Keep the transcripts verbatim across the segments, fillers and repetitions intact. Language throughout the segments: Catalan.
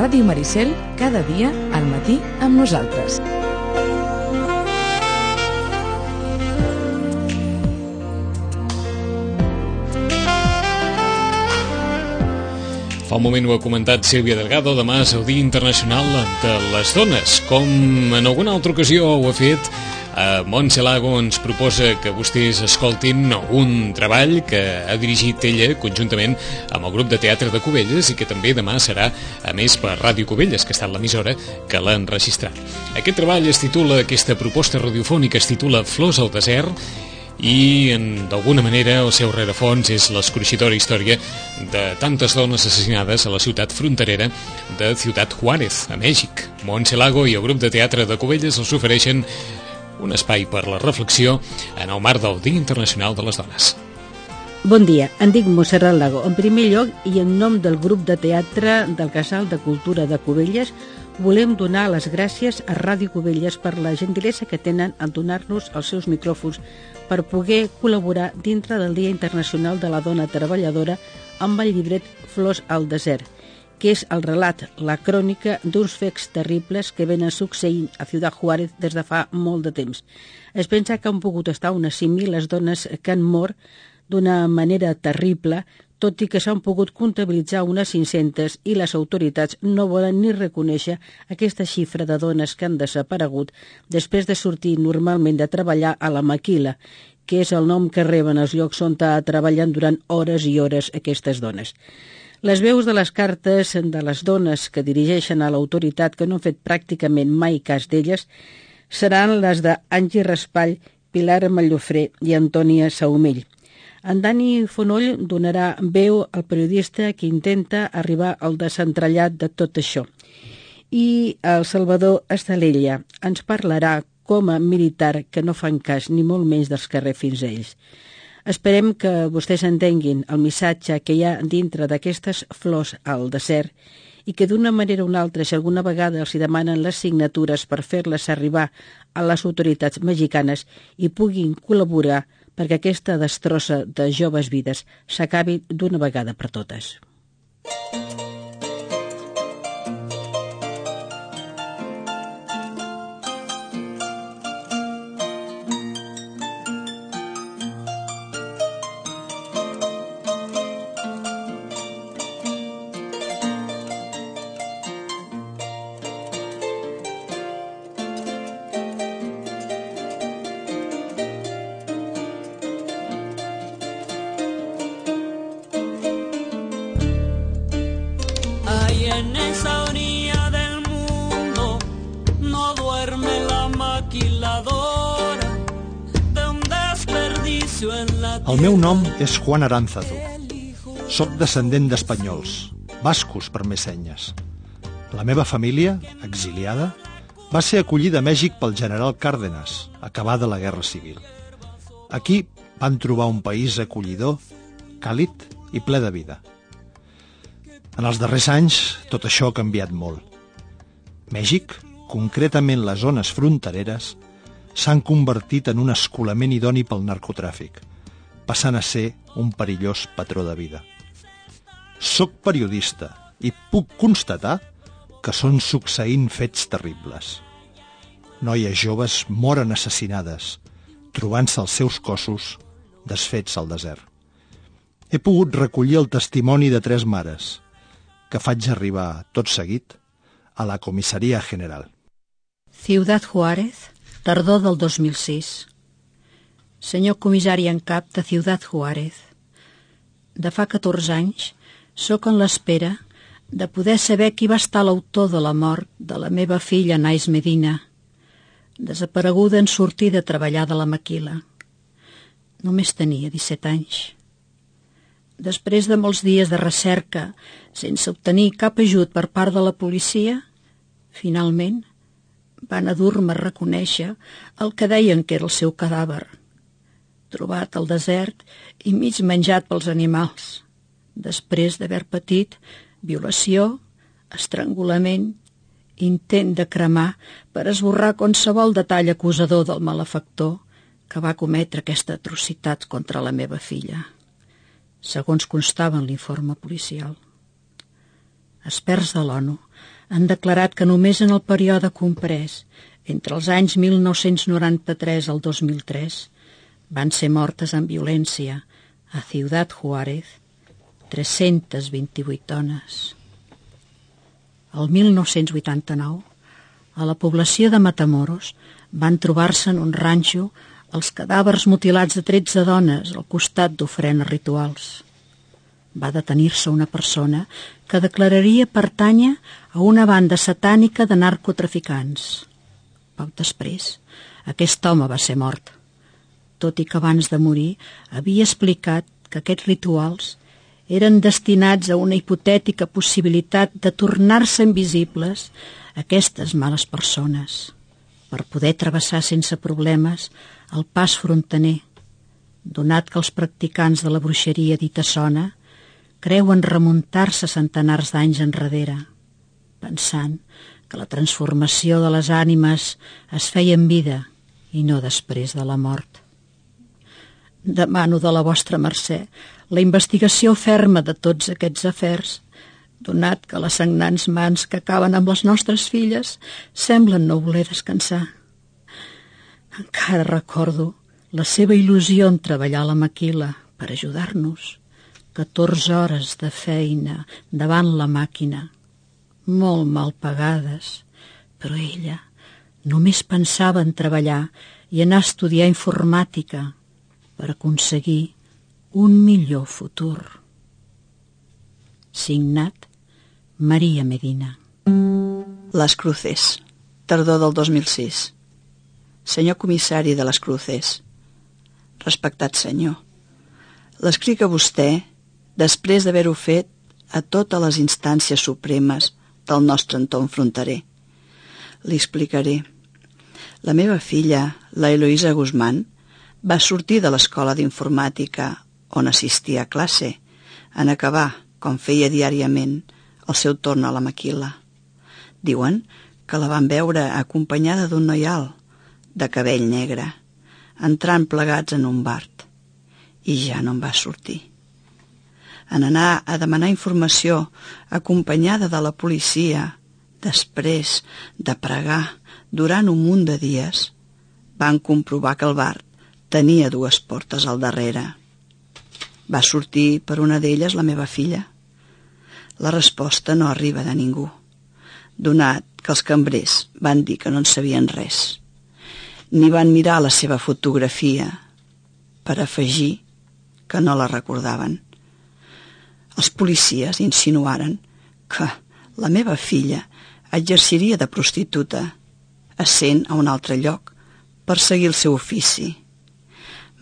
Ràdio Maricel, cada dia al matí amb nosaltres. Fa un moment ho ha comentat Sílvia Delgado, demà és el Dia Internacional de les Dones. Com en alguna altra ocasió ho ha fet, eh, Montse Lago ens proposa que vostès escoltin un treball que ha dirigit ella conjuntament amb el grup de teatre de Cubelles i que també demà serà, a més, per Ràdio Cubelles, que ha estat l'emissora que l'ha enregistrat. Aquest treball es titula, aquesta proposta radiofònica es titula Flors al desert, i d'alguna manera el seu rerefons és l'escorxidora història de tantes dones assassinades a la ciutat fronterera de Ciutat Juárez, a Mèxic. Montse Lago i el grup de teatre de Cubelles els ofereixen un espai per la reflexió en el marc del Dia Internacional de les Dones. Bon dia, em dic Montserrat Lago. En primer lloc, i en nom del grup de teatre del Casal de Cultura de Cubelles, volem donar les gràcies a Ràdio Cubelles per la gentilesa que tenen en donar-nos els seus micròfons per poder col·laborar dintre del Dia Internacional de la Dona Treballadora amb el llibret Flors al desert, que és el relat, la crònica d'uns fets terribles que venen succeint a Ciutat Juárez des de fa molt de temps. Es pensa que han pogut estar unes cinc mil les dones que han mort d'una manera terrible, tot i que s'han pogut comptabilitzar unes cinc-centes i les autoritats no volen ni reconèixer aquesta xifra de dones que han desaparegut després de sortir normalment de treballar a la maquila, que és el nom que reben els llocs on treballen durant hores i hores aquestes dones. Les veus de les cartes de les dones que dirigeixen a l'autoritat, que no han fet pràcticament mai cas d'elles, seran les d'Angie Raspall, Pilar Mallofré i Antònia Saumell. En Dani Fonoll donarà veu al periodista que intenta arribar al desentrellat de tot això. I el Salvador Estalella ens parlarà com a militar que no fan cas ni molt menys dels carrers fins a ells. Esperem que vostès entenguin el missatge que hi ha dintre d'aquestes flors al desert i que d'una manera o una altra, si alguna vegada els demanen les signatures per fer-les arribar a les autoritats mexicanes i puguin col·laborar perquè aquesta destrossa de joves vides s'acabi d'una vegada per totes. En esa orilla del mundo no duerme la maquiladora de un desperdicio en la tierra. El meu nom és Juan Aránzazu. Soc descendent d'espanyols, bascos per més senyes. La meva família, exiliada, va ser acollida a Mèxic pel general Cárdenas, acabada la Guerra Civil. Aquí van trobar un país acollidor, càlid i ple de vida. En els darrers anys, tot això ha canviat molt. Mèxic, concretament les zones frontereres, s'han convertit en un escolament idoni pel narcotràfic, passant a ser un perillós patró de vida. Soc periodista i puc constatar que són succeint fets terribles. Noies joves moren assassinades, trobant-se els seus cossos desfets al desert. He pogut recollir el testimoni de tres mares, que faig arribar tot seguit a la Comissaria General. Ciutat Juárez, tardor del dos mil sis. Senyor comissari en cap de Ciutat Juárez, de fa catorze anys sóc en l'espera de poder saber qui va estar l'autor de la mort de la meva filla Nais Medina, desapareguda en sortir de treballar de la maquila. Només tenia disset anys. Després de molts dies de recerca, sense obtenir cap ajut per part de la policia, finalment van a dur-me a reconèixer el que deien que era el seu cadàver, trobat al desert i mig menjat pels animals, després d'haver patit violació, estrangulament, intent de cremar per esborrar qualsevol detall acusador del malefactor que va cometre aquesta atrocitat contra la meva filla, segons constava en l'informe policial. experts de l'ONU, han declarat que només en el període comprès entre els anys mil nou-cents noranta-tres al dos mil tres van ser mortes en violència a Ciudad Juárez tres-centes vint-i-vuit dones. El mil nou-cents vuitanta-nou, a la població de Matamoros van trobar-se en un ranxo els cadàvers mutilats de tretze dones al costat d'ofrenes rituals. Va detenir-se una persona que declararia pertànyer a una banda satànica de narcotraficants. Poc després, aquest home va ser mort, tot i que abans de morir havia explicat que aquests rituals eren destinats a una hipotètica possibilitat de tornar-se invisibles aquestes males persones, per poder travessar sense problemes el pas fronterer, donat que els practicants de la bruixeria dita sona creuen remuntar-se centenars d'anys enrere, pensant que la transformació de les ànimes es feia en vida i no després de la mort. Demano de la vostra mercè la investigació ferma de tots aquests afers, donat que les sagnants mans que acaben amb les nostres filles semblen no voler descansar. Encara recordo la seva il·lusió en treballar a la maquila per ajudar-nos. catorze hores de feina davant la màquina, molt mal pagades, però ella només pensava en treballar i anar a estudiar informàtica per aconseguir un millor futur. Signat Maria Medina. Les Cruces, tardor del dos mil sis. Senyor comissari de les Cruces, respectat senyor, l'escric a vostè després d'haver-ho fet a totes les instàncies supremes del nostre entorn fronterer. Li explicaré. La meva filla, la Eloïsa Guzmán, va sortir de l'escola d'informàtica on assistia a classe, en acabar, com feia diàriament, el seu torn a la maquila. Diuen que la van veure acompanyada d'un noi alt, de cabell negre, entrant plegats en un bart, i ja no en va sortir. En anar a demanar informació acompanyada de la policia, després de pregar durant un munt de dies, van comprovar que el bar tenia dues portes al darrere. Va sortir per una d'elles la meva filla? La resposta no arriba de ningú, donat que els cambrers van dir que no en sabien res, ni van mirar la seva fotografia per afegir que no la recordaven. Els policies insinuaren que la meva filla exerciria de prostituta, essent a un altre lloc per seguir el seu ofici.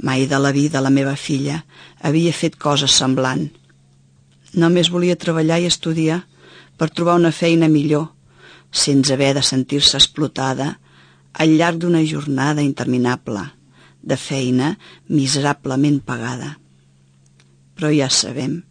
Mai de la vida la meva filla havia fet cosa semblant. Només volia treballar i estudiar per trobar una feina millor, sense haver de sentir-se explotada al llarg d'una jornada interminable, de feina miserablement pagada. Però ja sabem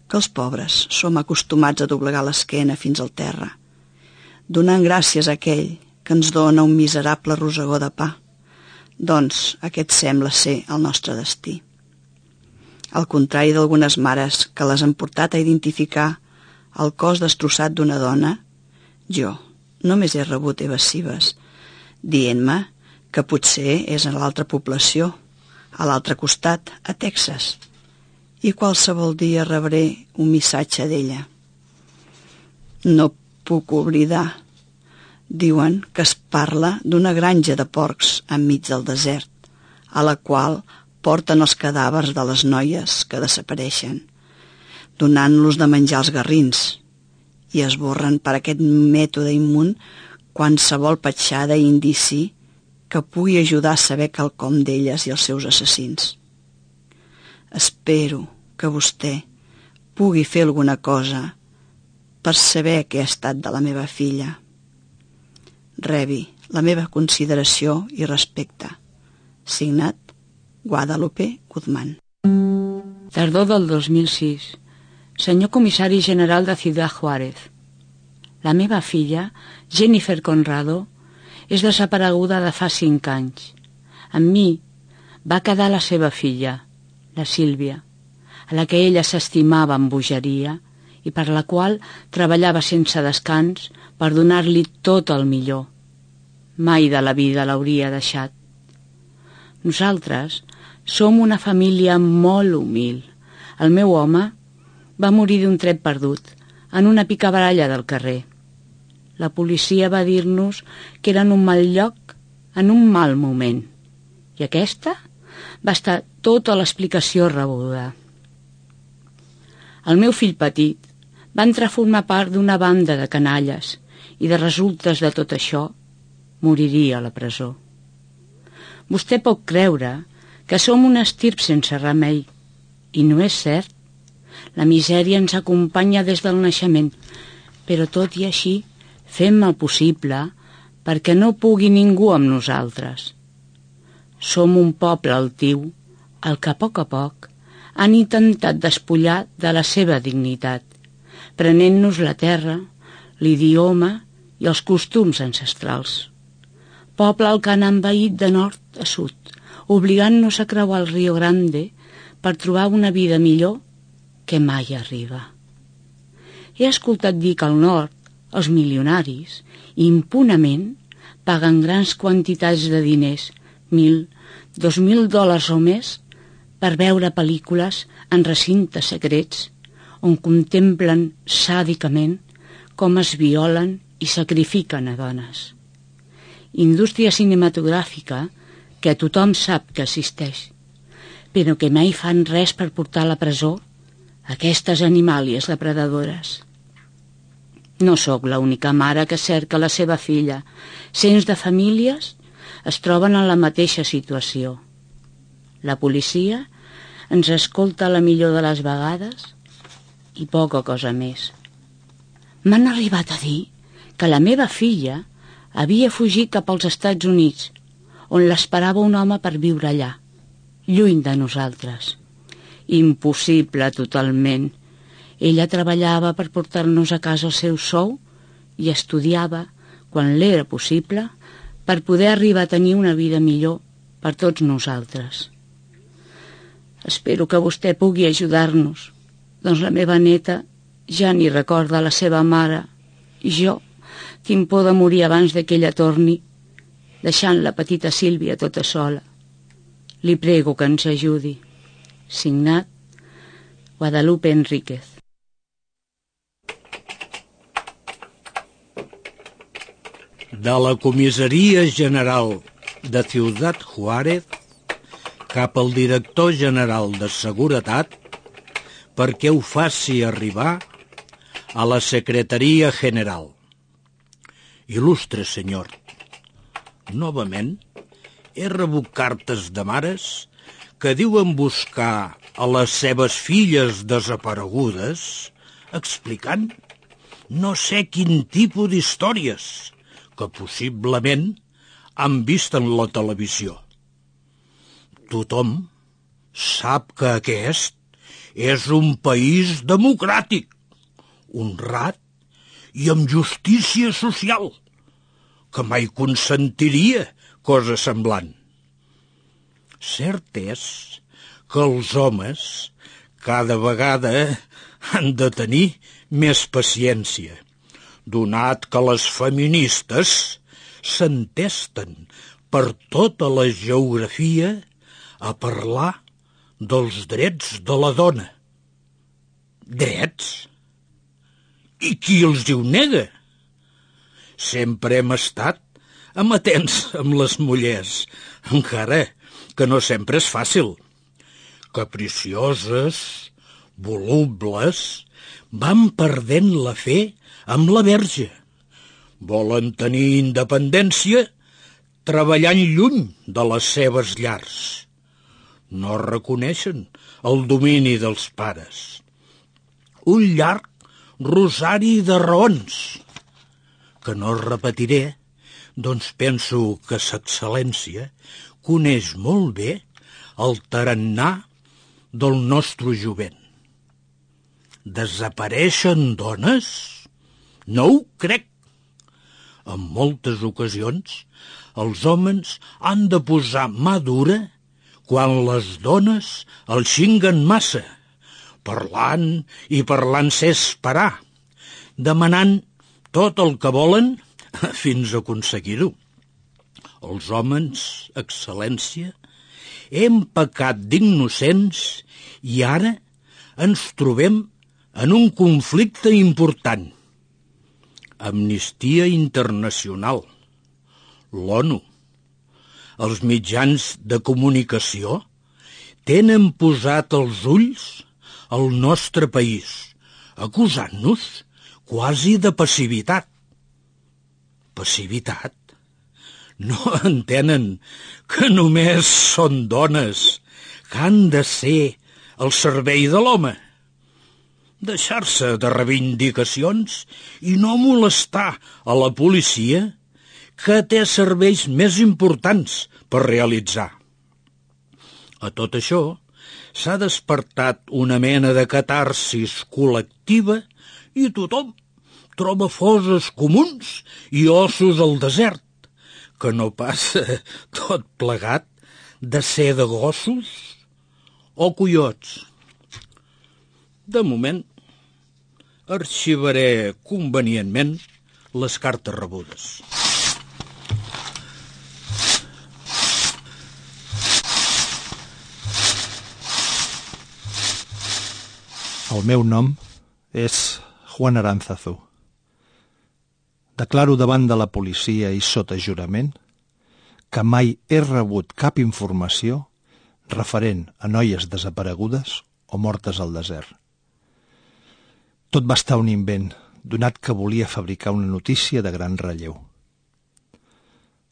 que els pobres som acostumats a doblegar l'esquena fins al terra, donant gràcies a aquell que ens dona un miserable rosegó de pa. Doncs aquest sembla ser el nostre destí. Al contrari d'algunes mares que les han portat a identificar el cos destrossat d'una dona, jo només he rebut evasives, dient-me que potser és a l'altra població, a l'altre costat, a Texas, i qualsevol dia rebré un missatge d'ella. No puc oblidar. Diuen que es parla d'una granja de porcs enmig del desert, a la qual porten els cadàvers de les noies que desapareixen, donant-los de menjar els garrins, i esborren per aquest mètode immun qualsevol petjada i indici que pugui ajudar a saber quelcom d'elles i els seus assassins. Espero que vostè pugui fer alguna cosa per saber què ha estat de la meva filla. Rebi la meva consideració i respecte. Signat Guadalupe Guzmán. Tardor del dos mil sis. Senyor comissari general de Ciudad Juárez. La meva filla, Jennifer Conrado, és desapareguda de fa cinc anys. Amb mi va quedar la seva filla, la Sílvia, a la que ella s'estimava amb bogeria i per la qual treballava sense descans per donar-li tot el millor. Mai de la vida l'hauria deixat. Nosaltres som una família molt humil. El meu home va morir d'un tret perdut, en una picabaralla del carrer. La policia va dir-nos que era en un mal lloc, en un mal moment. I aquesta va estar tota l'explicació rebuda. El meu fill petit va entrar a formar part d'una banda de canalles i de resultes de tot això moriria a la presó. Vostè pot creure que som un estirp sense remei, i no és cert. La misèria ens acompanya des del naixement, però tot i així fem el possible perquè no pugui ningú amb nosaltres. Som un poble altiu, el que a poc a poc han intentat despullar de la seva dignitat, prenent-nos la terra, l'idioma i els costums ancestrals. Poble al que han envaït de nord a sud, obligant-nos a creuar el Rio Grande per trobar una vida millor que mai arriba. He escoltat dir que al nord els milionaris impunament paguen grans quantitats de diners, mil, dos mil dòlars o més, per veure pel·lícules en recintes secrets on contemplen sàdicament com es violen i sacrifiquen a dones. Indústria cinematogràfica que tothom sap que existeix, però que mai fan res per portar a la presó aquestes animàlies depredadores. No sóc l'única mare que cerca la seva filla. Cents de famílies es troben en la mateixa situació. La policia ens escolta la millor de les vegades i poca cosa més. M'han arribat a dir que la meva filla havia fugit cap als Estats Units, on l'esperava un home per viure allà, lluny de nosaltres. Impossible totalment. Ella treballava per portar-nos a casa el seu sou i estudiava, quan l'era possible, per poder arribar a tenir una vida millor per tots nosaltres. Espero que vostè pugui ajudar-nos, doncs la meva neta ja ni recorda la seva mare i jo tinc por de morir abans que ella torni, deixant la petita Sílvia tota sola. Li prego que ens ajudi. Signat Guadalupe Enríquez. De la Comissaria General de Ciudad Juárez cap al Director General de Seguretat perquè ho faci arribar a la Secretaria General. Il·lustre senyor, novament he rebut cartes de mares que diuen buscar a les seves filles desaparegudes explicant no sé quin tipus d'històries que possiblement han vist en la televisió. Tothom sap que aquest és un país democràtic, honrat i amb justícia social, que mai consentiria cosa semblant. Cert és que els homes cada vegada han de tenir més paciència, donat que les feministes s'entesten per tota la geografia a parlar dels drets de la dona. Drets? I qui els diu nega? Sempre hem estat amatents amb les mullers, encara que no sempre és fàcil. Capricioses, volubles, van perdent la fe amb la verge. Volen tenir independència treballant lluny de les seves llars. No reconeixen el domini dels pares. Un llarg rosari de raons, que no repetiré, doncs penso que s'excel·lència coneix molt bé el tarannà del nostre jovent. Desapareixen dones? No ho crec. En moltes ocasions, els homes han de posar mà dura quan les dones el xinguen massa, parlant i parlant-se esperar, demanant tot el que volen fins a aconseguir-ho. Els homes, excel·lència, hem pecat d'innocents i ara ens trobem en un conflicte important. Amnistia Internacional, l'ONU, els mitjans de comunicació tenen posat els ulls al nostre país, acusant-nos quasi de passivitat. Passivitat? No entenen que només són dones que han de ser al servei de l'home. Deixar-se de reivindicacions i no molestar a la policia que té serveis més importants per realitzar. A tot això s'ha despertat una mena de catarsis col·lectiva i tothom troba fosses comuns i ossos al desert, que no passa tot plegat de ser de gossos o coiots. De moment, arxivaré convenientment les cartes rebudes. El meu nom és Juan Aránzazu. Declaro davant de la policia i sota jurament que mai he rebut cap informació referent a noies desaparegudes o mortes al desert. Tot va estar un invent, donat que volia fabricar una notícia de gran relleu.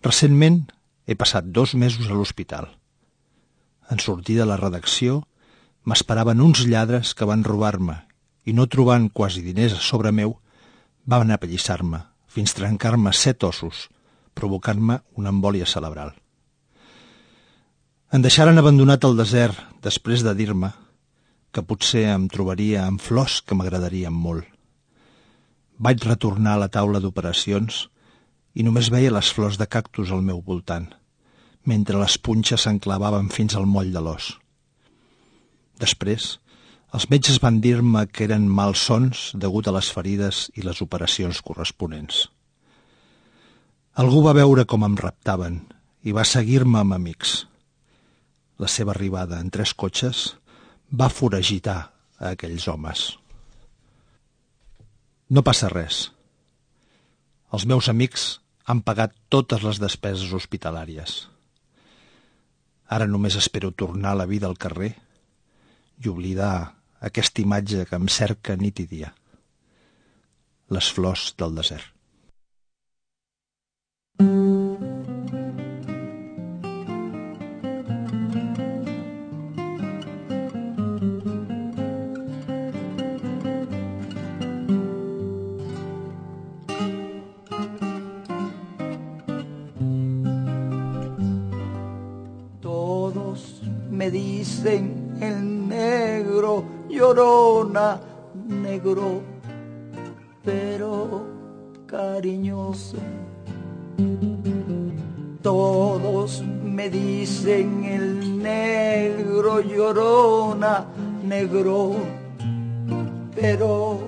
Recentment he passat dos mesos a l'hospital. En sortir de la redacció m'esperaven uns lladres que van robar-me i no trobant quasi diners a sobre meu, van apallissar-me fins trencar-me set ossos, provocant-me una embòlia cerebral. Em deixaren abandonat al desert després de dir-me que potser em trobaria amb flors que m'agradarien molt. Vaig retornar a la taula d'operacions i només veia les flors de cactus al meu voltant, mentre les punxes s'enclavaven fins al moll de l'os. Després, els metges van dir-me que eren malsons degut a les ferides i les operacions corresponents. Algú va veure com em raptaven i va seguir-me amb amics. La seva arribada en tres cotxes va foragitar a aquells homes. No passa res. Els meus amics han pagat totes les despeses hospitalàries. Ara només espero tornar a la vida al carrer i oblidar aquesta imatge que em cerca nit i dia. Les flors del desert. Todos me dicen el negro, llorona, negro, pero cariñoso. Todos me dicen el negro, llorona, negro, pero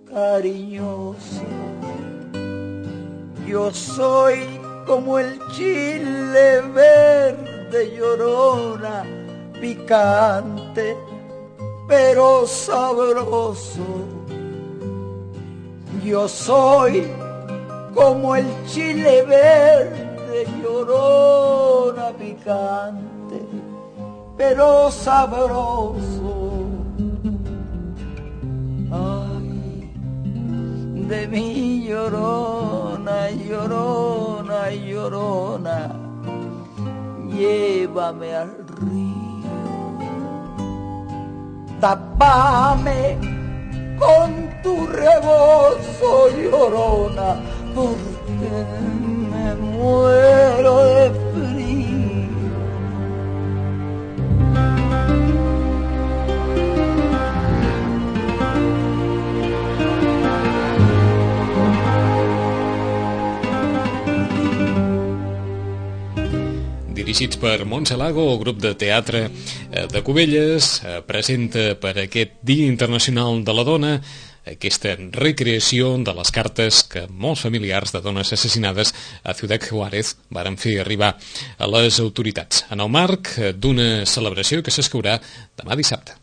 cariñoso. Yo soy como el chile verde, llorona, picante, pero sabroso. Yo soy como el chile verde, llorona, picante, pero sabroso. Ay, de mi llorona, llorona, llorona, llévame al río, tápame con tu rebozo, llorona, porque me muero de frío. Dirigits per Montse Lago, el grup de teatre de Cubelles presenta per aquest Dia Internacional de la Dona aquesta recreació de les cartes que molts familiars de dones assassinades a Ciudad Juárez varen fer arribar a les autoritats, en el marc d'una celebració que s'escaurà demà dissabte.